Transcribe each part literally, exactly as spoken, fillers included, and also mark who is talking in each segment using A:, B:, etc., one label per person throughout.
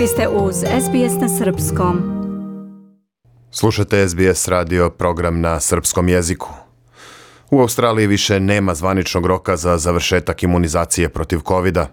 A: Vi ste uz S B S na srpskom.
B: Slušate S B S radio, program na srpskom jeziku. U Australiji više nema zvaničnog roka za završetak imunizacije protiv kovida.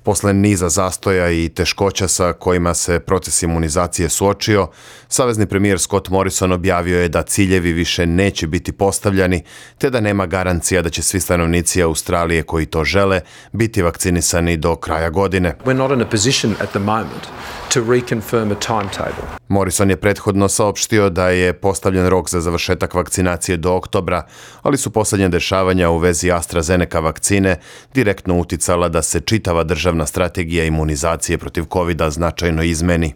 B: Posle niza zastoja i teškoća sa kojima se proces imunizacije suočio, savezni premijer Scott Morrison objavio je da ciljevi više neće biti postavljani, te da nema garancija da će svi stanovnici Australije koji to žele biti vakcinisani do kraja godine.
C: We're not in a position at the moment to reconfirm a timetable.
B: Morrison je prethodno saopštio da je postavljen rok za završetak vakcinacije do oktobra, ali su posljednje dešavanja u vezi AstraZeneca vakcine direktno uticala da se čitava državna strategija imunizacije protiv kovida značajno izmeni.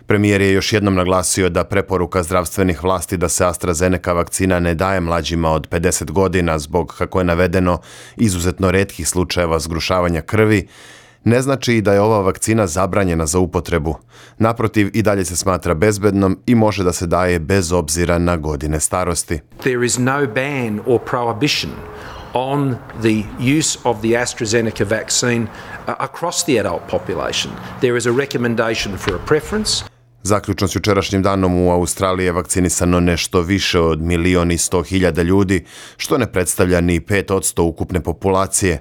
B: Premijer je još jednom naglasio da preporuka zdravstvenih vlasti da se AstraZeneca vakcina ne daje mlađima od pedeset godina zbog, kako je navedeno, izuzetno retkih slučajeva zgrušavanja krvi, ne znači da je ova vakcina zabranjena za upotrebu. Naprotiv, i dalje se smatra bezbednom i može da se daje bez obzira na godine starosti.
C: There is no ban or prohibition on the use of the AstraZeneca vaccine across the adult population. There is a recommendation for a preference.
B: Zaključno s jučerašnjim danom u Australiji je vakcinisano nešto više od milion i sto hiljada ljudi, što ne predstavlja ni pet posto ukupne populacije.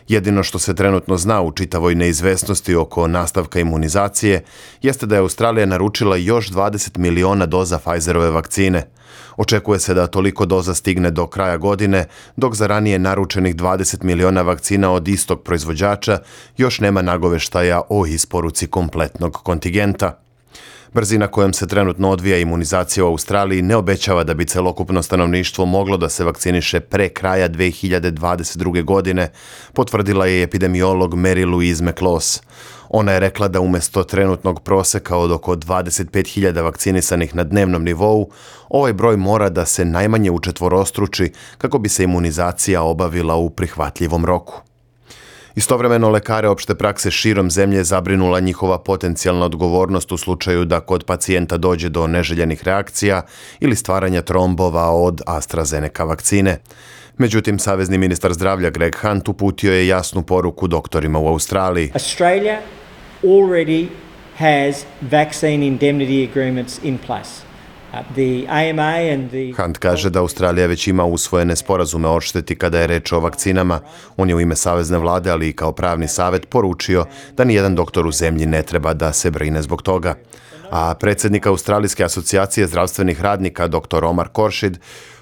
B: Jedino što se trenutno zna u čitavoj neizvesnosti oko nastavka imunizacije jeste da je Australija naručila još dvadeset miliona doza Pfizerove vakcine. Očekuje se da toliko doza stigne do kraja godine, dok za ranije naručenih dvadeset miliona vakcina od istog proizvođača još nema nagoveštaja o isporuci kompletnog kontingenta. Brzina kojom se trenutno odvija imunizacija u Australiji ne obećava da bi celokupno stanovništvo moglo da se vakciniše pre kraja dve hiljade dvadeset druge. godine, potvrdila je epidemiolog Mary Louise McLaws. Ona je rekla da umjesto trenutnog proseka od oko dvadeset pet hiljada vakcinisanih na dnevnom nivou, ovaj broj mora da se najmanje učetvorostruči kako bi se imunizacija obavila u prihvatljivom roku. Istovremeno, lekare opšte prakse širom zemlje zabrinula njihova potencijalna odgovornost u slučaju da kod pacijenta dođe do neželjenih reakcija ili stvaranja trombova od AstraZeneca vakcine. Međutim, savezni ministar zdravlja Greg Hunt uputio je jasnu poruku doktorima u Australiji.
D: Australia already has vaccine indemnity agreements in place. The A M A and the...
B: Hunt kaže da Australija već ima usvojene sporazume o odšteti kada je reč o vakcinama. On je u ime savezne vlade, ali i kao pravni savet, poručio da nijedan doktor u zemlji ne treba da se brine zbog toga. A predsjednik Australijske asocijacije zdravstvenih radnika, doktor Omar Khorshid,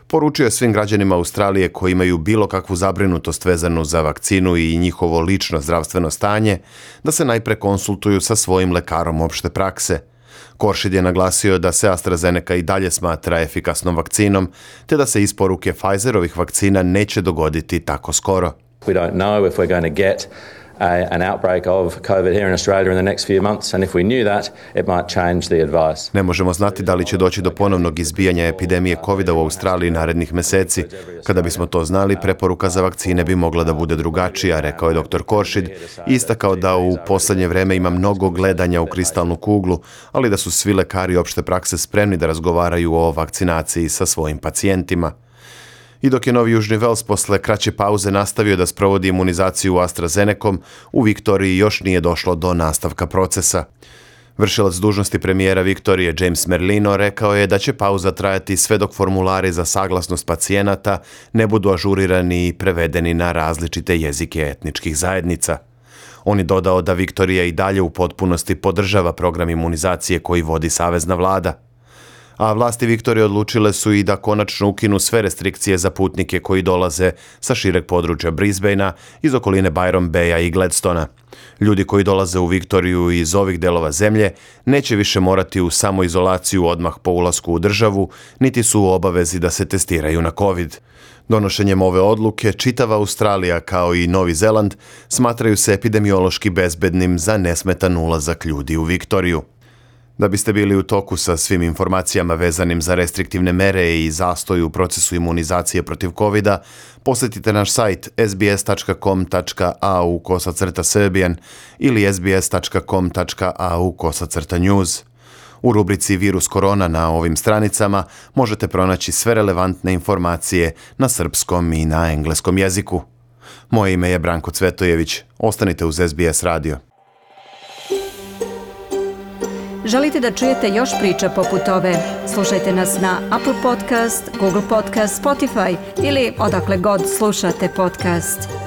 B: poručio je svim građanima Australije koji imaju bilo kakvu zabrinutost vezanu za vakcinu i njihovo lično zdravstveno stanje, da se najpre konsultuju sa svojim lekarom opšte prakse. Khorshid je naglasio da se AstraZeneca i dalje smatra efikasnom vakcinom, te da se isporuke Pfizerovih vakcina neće dogoditi tako skoro.
E: We don't know if we're going to get a, an outbreak of COVID here in Australia in the next few months, and if we knew that, it might change the advice.
B: Ne možemo znati da li će doći do ponovnog izbijanja epidemije kovida u Australiji narednih meseci. Kada bismo to znali, preporuka za vakcine bi mogla da bude drugačija, rekao je doktor Khorshid, i istakao da u poslednje vreme ima mnogo gledanja u kristalnu kuglu, ali da su svi lekari opšte prakse spremni da razgovaraju o vakcinaciji sa svojim pacijentima. I dok je Novi Južni Vels posle kraće pauze nastavio da sprovodi imunizaciju AstraZenecom, u Viktoriji još nije došlo do nastavka procesa. Vršilac dužnosti premijera Viktorije James Merlino rekao je da će pauza trajati sve dok formulari za saglasnost pacijenata ne budu ažurirani i prevedeni na različite jezike etničkih zajednica. On je dodao da Viktorija i dalje u potpunosti podržava program imunizacije koji vodi savezna vlada. A vlasti Viktorije odlučile su i da konačno ukinu sve restrikcije za putnike koji dolaze sa šireg područja Brisbanea, iz okoline Byron Baya i Gladstona. Ljudi koji dolaze u Viktoriju iz ovih delova zemlje neće više morati u samoizolaciju odmah po ulasku u državu, niti su u obavezi da se testiraju na COVID. Donošenjem ove odluke, čitava Australija kao i Novi Zeland smatraju se epidemiološki bezbednim za nesmetan ulazak ljudi u Viktoriju. Da biste bili u toku sa svim informacijama vezanim za restriktivne mere i zastoj u procesu imunizacije protiv kovida, posjetite naš sajt s b s tačka com tačka a u kosacrta serbian ili s b s tačka com tačka a u kosacrta news. U rubrici Virus korona na ovim stranicama možete pronaći sve relevantne informacije na srpskom i na engleskom jeziku. Moje ime je Branko Cvetojević. Ostanite uz S B S radio.
A: Želite da čujete još priča poput ove? Slušajte nas na Apple Podcast, Google Podcast, Spotify ili odakle god slušate podcast.